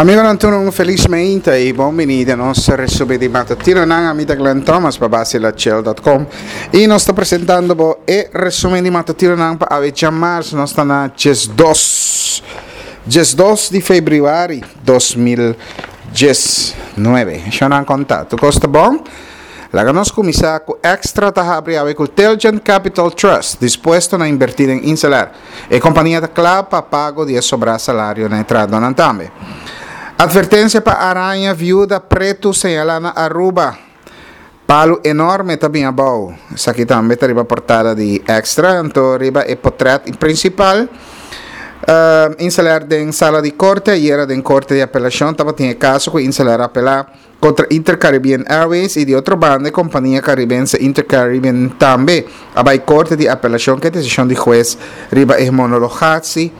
Amigonan tur un felis meinta y bon bini den nos resumen di matutinonan. Ami ta Glenn Thomas pa basilachel.com y nos ta presentando bo e resumen di matutinonan pa awe djamars. Nos ta na 12, 12 di februari 2019. Shonnan konta, tur kos ta bon? Laga nos kuminsá ku Extra ta habri awe ku Tilgent Capital Trust dispuesto na inbertí den Inselair. E kompania ta kla pa pago di e sobrá salario na e trahadónan tambe. Atvertensia pa araña viuda pretu señalá na Aruba. Palu enorme ta bin abou. Esaki tambe ta riba portada di Extra. Anto riba e potrèt prinsipal, Inselair den sala di korte. Ayera den korte di apelashon tabatin e kaso ku Inselair a apelá. Kontra InterCaribbean Airways i di otro banda e kompania karibense InterCaribbean tambe a bai korte di apelashon ku e desishon di hues riba e homologatsi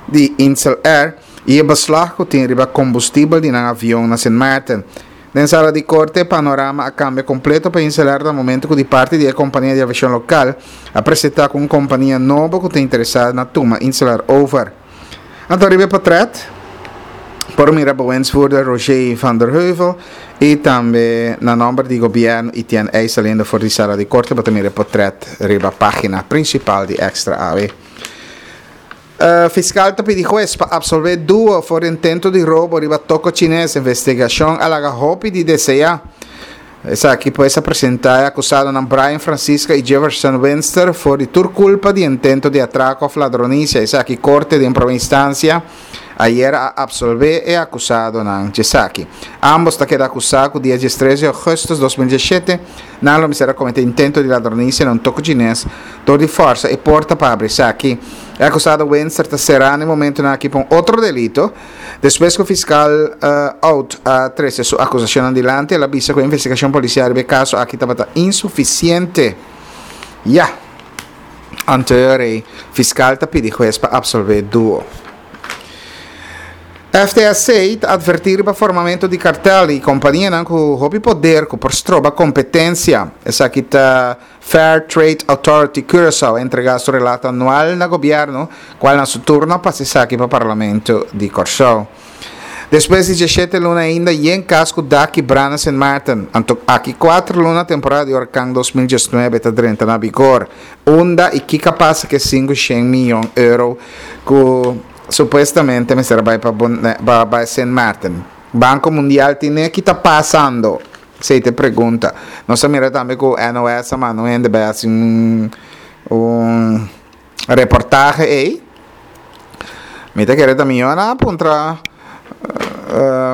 di Insel Air i e beslag ku tin riba kombustibel di nan avion na Sint Maarten. Den sala di korte e panorama a kambia kompleto pa Insel Air na momento ku di parti di e kompania di aviashon lokal a presentá ku un kompania nobo ku ta interesá na tuma Insel Air over. Anto riba e potret por mira bewindsvoerder Roger van der Heuvel y tambe na nomber di gobierno Etienne Eis saliendo for di sala di corte bo ta mira e potret riba pagina principal di Extra awe. Fiscal ta pidi hues pa absolve duo for intento di robo riba toko chines investigacion a laga hopi di desea. Esaki pues a presenta e acusadonan Brian Francisca y Jefferson Winster for di tur culpa di intento di atraco of ladronicia. Esaki corte den prome instancia ayer a absolve e acusadonan djesaki. Ambos ta keda acusa cu dia 13 di augustus 2017 nan lo mester a comete intento di ladronicia na un toko chines dor di forsa e porta pa habri esaki. E acusado Winster ta cera na e momentonan aki pa un otro delito. Despues ku fiskal Out a trese su akusashonnan dilanti, el a bisa ku e investigashon polisial riba e kaso aki tabata insufisiente. Ya! Anto rei, fiskal ta pidi hues pa apsolvé duo. FTSC ta atvertí riba formamentu di kartel i kompanianan ku hopi poder ku por stroba kompetensia. Esaki ta. Fair Trade Authority Curaçao a entregá su relato anual na gobièrnu, kual na su turno a pasa esaki pa Parlamento di Kòrsou. Despues di dieshete luna ainda yen kas ku dak kibrá na Sint Maarten. Anto aki kuater luna temporada di orkan 2019 ta drenta na vigor. Unda i kiko a pasa ku e 500 miyon euro ku supuestamente mester a bai pa bai Sint Maarten? Banko Mundial tine ki ta pasando? Esei ta e pregunta. Nos a mira tambe ku NOS a manda un hende bai hasi un un reportahe ei. Mi ta kere ta mihó nan a puntra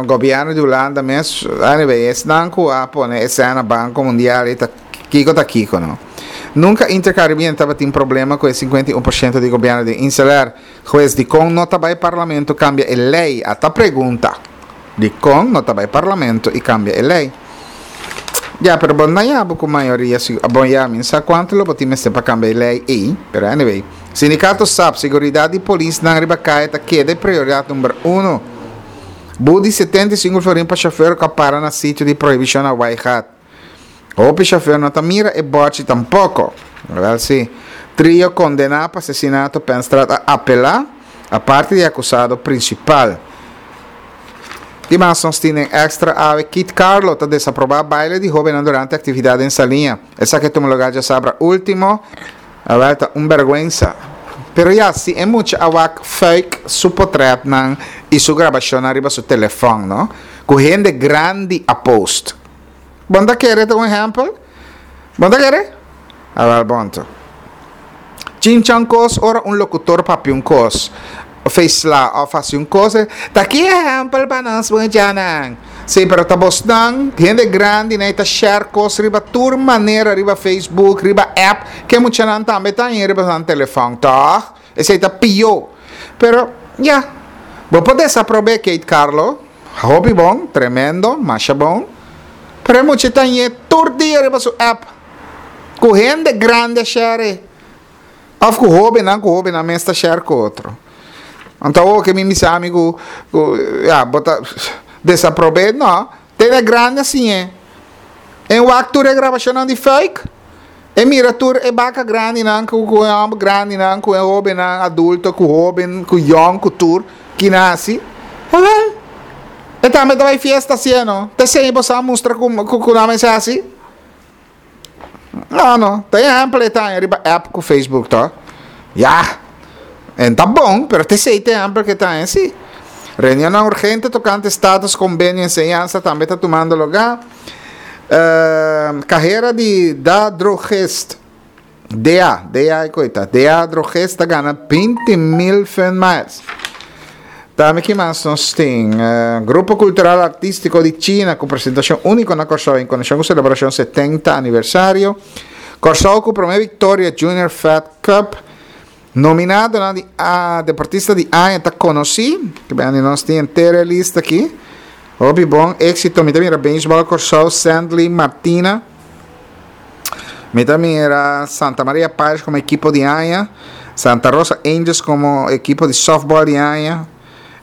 gobièrnu di Hulanda mes. Anyway, esnan ku a pone esei na Banko Mundial ei ta kiko ta kiko no. Nunka Intercaribbean tabatin problema ku e 51% di gobièrnu di Inselair. Hues, dikon no ta bai parlamento kambia e lei? A ta pregunta. Dikon no ta bai parlamento i kambia e lei? Ya, pero bo no yaba ku mayoria si, bon ya, mi no sa kuantu lo bo tin mester pa kambia e lei ei, pero anyway. Sindikato sap, seguridat di polisnan riba kaya ta keda e prioridat number uno. But di 75 florin pa shofer ku a para na sitio di prohibishon na Waaigat. Hopi shofer no ta mira e bòchi tampoko. Wèl si. Trio kondená pa asesinato Penstraat a apelá, aparte di e akusado prinsipal. Ki mas nos tin den Extra awe? Kit Carlo ta desaprobá baile di hóbennan durante aktividat den Saliña. Esaki a tuma lugá djasabra último. Awèl ta un bèrgwensa. Pero ya, si e mucha a wak fuik su potrètnan i su grabashonnan riba su telefòn, no? Ku hende grandi a post. Bon ta kere ta un ehempel? Bon ta kere? Awel bon to. Chinchan kos ora un lokutor papia un kos, of e sla of hasi un kos, ta ki ehempel pa nos muchanan? Sí, pero ta bosnan, hende grandi nan ta share kos riba tur manera, riba Facebook, riba app, ke muchanan tambe ta haña riba nan telefòn, tòg? Esei ta pió. Pero, ya, bo por desaprob'é Kate Carlo. Hopi bon, tremendo, masha bon. Pero e mucha ta ñe tur dia riba su app. Ku hende grandi a share e. Of ku hobennan, ku hobennan mes ta share ku otro. Anto awor ke mi bisa ami ku, ku ya, bo ta desaprob'é, no. Tene grandi a siñ'é. En wak tur e grabashonnan di fuik. E mira tur e baka grandinan ku ku e hòmber grandinan ku e hóbennan adulto ku hóben ku yòn ku tur ki nan hasi. Awèl. E tambe ta bai fiesta si e no. Ta esei bo sa mustra ku ku nan mester hasi? No no, ta ehèmpel e ta haña riba app ku Facebook to. Ya, en ta bon, pero ta esei ta ehèmpel ku e ta haña si. Reunionnan urgente tokante status kombenio enseñansa tambe ta tumando lugá. Kahera di Da Drogist. DA, DA e koe ta. DA Drogist ta gana 20 mil fun miles. Tambe ki mas nos tin? Uh, Grupo Cultural Artístico di China ku presentashon úniko na Kòrsou en konekshon ku selebrashon 70 aniversario. Kòrsou ku promé viktoria Junior Fed Cup. Nominadonan di a deportista di aña ta konosí. Ke bende nos tin henter e lista aki. Hopi bon éksito. Mi ta mira Baseball Kòrsou, Sandley Martina. Mi ta mira Santa Maria Pirates komo ekipo di aña, Santa Rosa Angels komo ekipo di softball di aña.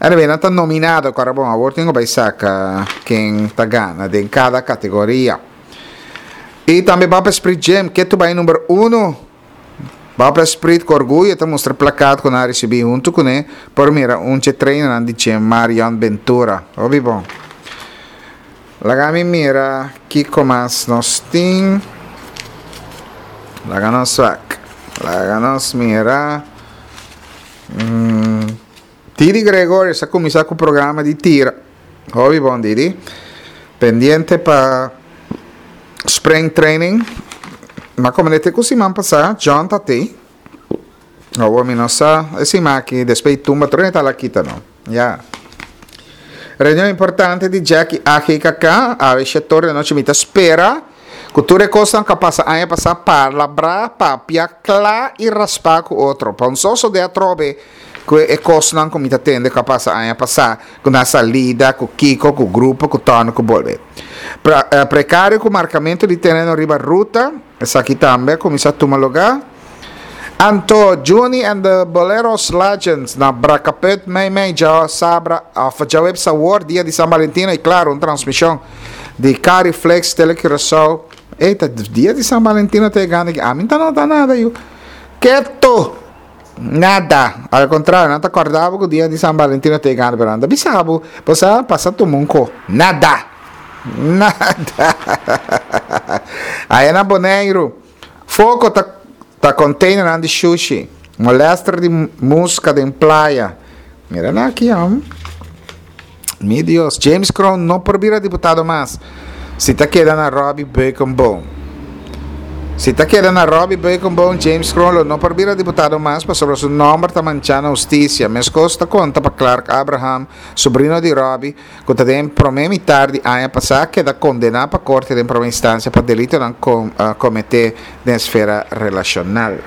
Anyway, nan ta nominado, kòrda bon, awor tin ku bai saka ken ta gana den kada kategoria. I tambe Bapa Esprit Gym, ke tu bai number uno. Bapa Esprit ku orguyo ta mustra plakat ku nan a risibí huntu kuné por mira un dje trainernan di gym, Marion Ventura. Hopi bon. Laga mi mira kiko mas nos tin. Laga nos wak. Laga nos mira. Mm. Didi Gregorius a kuminsá ku programa di tira. Hopi bon Didi. Pendiente pa spring training. Ma komo te ku siman pasá, John ta tei. Awor mi no sa e siman aki despues di tumba tur e ta la kita no. Ya. Reunion importante di Jack y AGKK, awe shetor di anochi mi ta spera ku tur e kosnan ku a pasa aña pasá palabrá, papia kla y raspá ku otro. Pa un sosodé atrobe ku e kosnan ku mi ta tende ku a pasa aña pasá, ku na salida, ku kiko, ku grupo, ku tòrnu, ku bolbe. Prekario ku markamentu di tereno riba ruta, esaki tambe a kuminsá tuma lugá. Anto Juni and the Boleros Legends na Brakaput mei mei dja sabra of djaweps awor dia di San Valentino y claro un transmision di Cariflex Tele Curaçao. Ey ta dia di San Valentino ta yegando aki ami ta nota nada yu. Keto! Nada. Al contrario nan ta corda bo cu dia di San Valentino ta yegando pero nan ta bisa bo bo sa pasa tuma un ko. Nada! Nada! Aya na Boneiru. Foko ta ta containernan di shushi. Molester di musca den playa. Mira nan aki hom. Mi Dios, James Kroon no por bira diputado mas si ta keda na Robby Beukenboom. Si ta keda na Robby Beukenboom, James Kroon lo no por bira diputado mas pasobra su nomber ta mancha na husticia. Mescos ta conta pa Clark Abraham, sobrino di Robby, ku ta den promé mitar di aña pasá keda kondená pa korte den promé instansia pa delitonan kometé den esfera relashonal.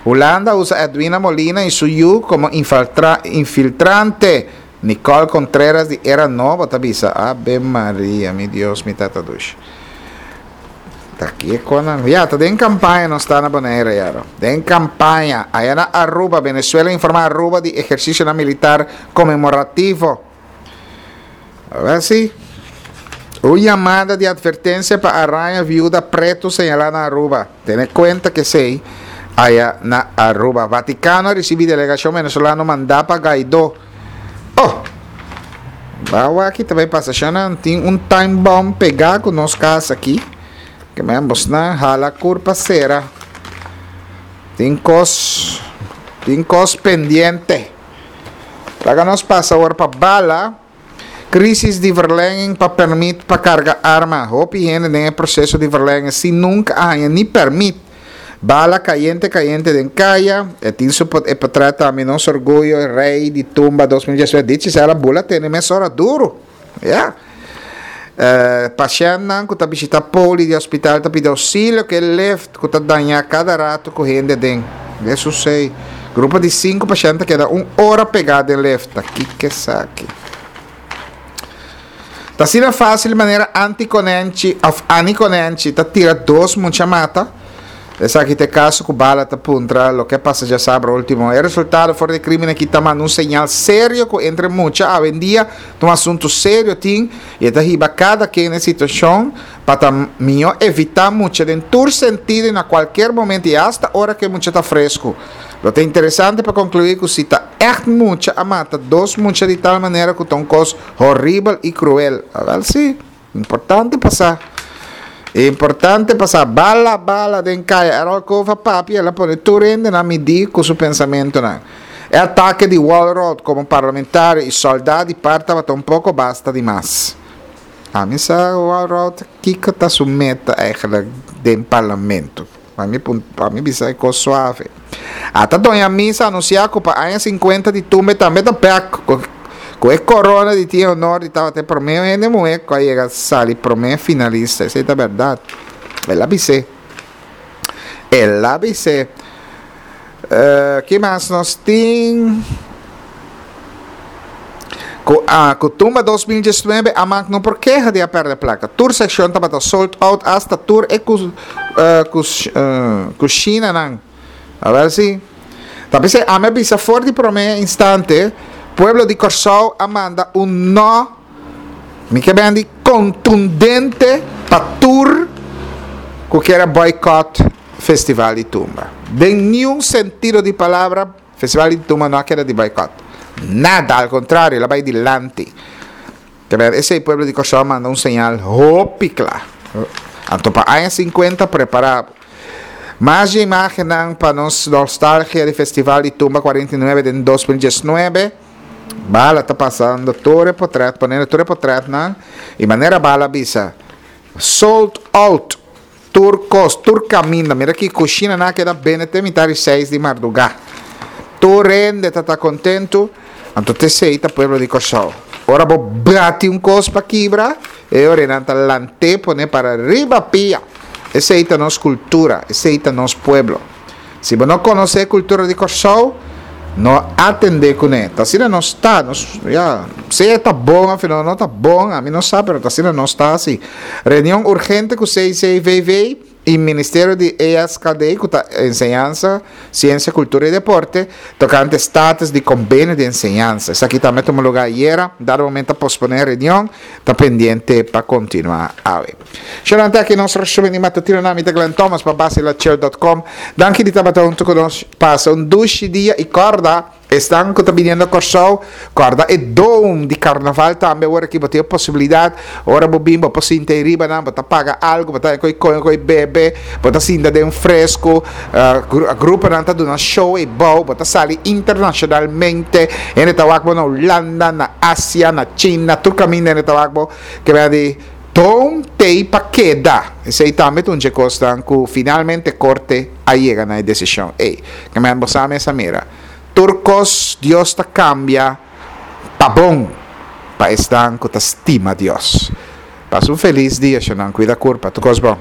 Hulanda a usa Edwina Molina i su yu komo infiltrante, Nicole Contreras di Era Nobo ta bisa. Abe Maria, mi Dios, mi tata dushi. Ta kiko nan? Ya, ta den kampaña nos ta na Bonaire ya. Den kampaña. Aya na Aruba, Venezuela informa Aruba di ehersisionan militar konmemorativo. Awor si. Un yamada di advertensia pa araña viuda pretu señalá na Aruba. Tene kuenta ku esei aya na Aruba. Vatikano a risibí delegashon venezolano mandá pa Guaidó. Oh! Bawa aki ta bai pasa shanan. Tin un time bomb pegá ku nos kas aki. Ke men bosnan hala kurpa sera. Tin kos, tin kos pendiente. Laga nos pasa awor pa bala. Crisis di verlenging pa permit pa carga arma. Hopi hende den e proceso di verlenging sin nunca a haña ni permit. Bala cayente cayente den caya. E tin su e potret tambe nos orguyo rey di tumba 2019. Dichi sa el a bula tene mesora duro. Ya. Pashentnan ku ta bishita poli di hospital ta pidi ousilio ku e lift ku ta dañá kada ratu ku hende aden. Hesus ei. Grupo di sinku pashent ta keda un ora pegá den lift. Ta kiko esaki? Ta asina fásil manera Anti Konenchi òf Annie Konenchi ta tira dos mucha mata? Esaki ta e kaso ku bala ta puntra loke a pasa djasabra ultimo. E resultado for di e krimen aki ta manda un señal serio ku entre mucha awendia ta un asuntu serio tin i e ta hiba kada ken na e situashon pa ta mihó evitá mucha den tur sentido i na kualkier momento i asta ora ku e mucha ta fresku. Lo ta interesante pa konkluí ku si ta ègt mucha a mata dos mucha di tal manera ku ta un kos horibel i kruel. Awèl sí, importante pa sa. Importante pa sa. Bala bala den kaya. Errol Cove a papia, el a pone tur hende na midí ku su pensamentunan. E atake di Walrod komo parlamentario i sòldá di par tabata un poko basta di mas. Ami sa Walrod kiko ta su meta eigenlijk den parlamento. Pa mi pa mi bisa e kos suave. Ata Doña Misa anunsiá ku pa aña sinkuenta di tumbe tambe ta bèk ku e korona di tin e honor di tabata e promé hende muhé ku a yega sali promé finalista. Esei ta bèrdat. El a bis'é. El a bis'é. Ki mas nos tin? Ku a ku tumba 2019 Amak no por keha di a pèrdè plaka. Tur sekshon tabata sold out asta tur e ku ku kushinanan. A ber si. Ta p'esei ami a bisa for di promé instante pueblo di Kòrsou a manda un nò mi ke ben di kontundente pa tur ku kier a boycott Festival di Tumba. Den niun sentido di palabra Festival di Tumba no a keda di boycott. Nada, al contrario, el a bai dilanti. Te ber esei pueblo di Kòrsou a manda un señal hopi kla. Anto pa aña 50 prepara bo. Mas dje imagennan pa nos nostalgia di Festival di Tumba 49 den 2019. Bala ta pasando tur e potret, poniendo tur e potretnan y manera Bala a bisa, sold out. Tur kos, tur kaminda. Mira ki kushina nan a keda bende te mitar di seis di mardugá. Tur hende ta ta kontentu, anto t'esei ta pueblo di Kòrsou. Ora bo bati un kos pa kibra, e ora nan ta lant'é pone para riba pia. Esei ta nos kultura, esei ta nos pueblo. Si bo no konosé e kultura di Kòrsou, no atendé kuné. Ta asina nos ta, nos, ya, sea ta bon òf no ta bon, ami no sa, pero ta asina nos ta hasi. Reunion urgente ku CCVV i Ministerio di ESKD, ku ta Enseñansa, Siensia, Kultura i Deporte, tokante status di kombenio di enseñansa. Esaki tambe a tuma lugá ayera, dado momento a posponé e reunion, ta pendiente pa kontinuá awe. Shalom ta aki nos resumen di matutino na mi ta Glenn Thomas pa basilachel.com. Danki di tabata hunto ku nos. Pasa un dushi dia i kòrda esnan ku ta biniendo Kòrsou, kòrda e dome di karnaval tambe awor aki bo tin e posibilidat ora bo bin bo por sinta ei riba nan bo ta paga algu bo ta koi kome koi bebe bo ta sinta den fresku gruponan ta duna show ei bou bo ta sali internashonalmente hende ta wak bo na Hulanda na Asia na China tur kaminda hende ta wak bo ke mester di Don t'ei pa keda. Esei tambe ta un dje kosnan ku finalmente korte a yega na e desishon ei. Kemèn bo sa mes a mira. Tur kos Dios ta kambia pa bon pa esnan ku ta stima Dios. Pasa un felis dia, shonnan. Kuida kurpa. Tur kos bon.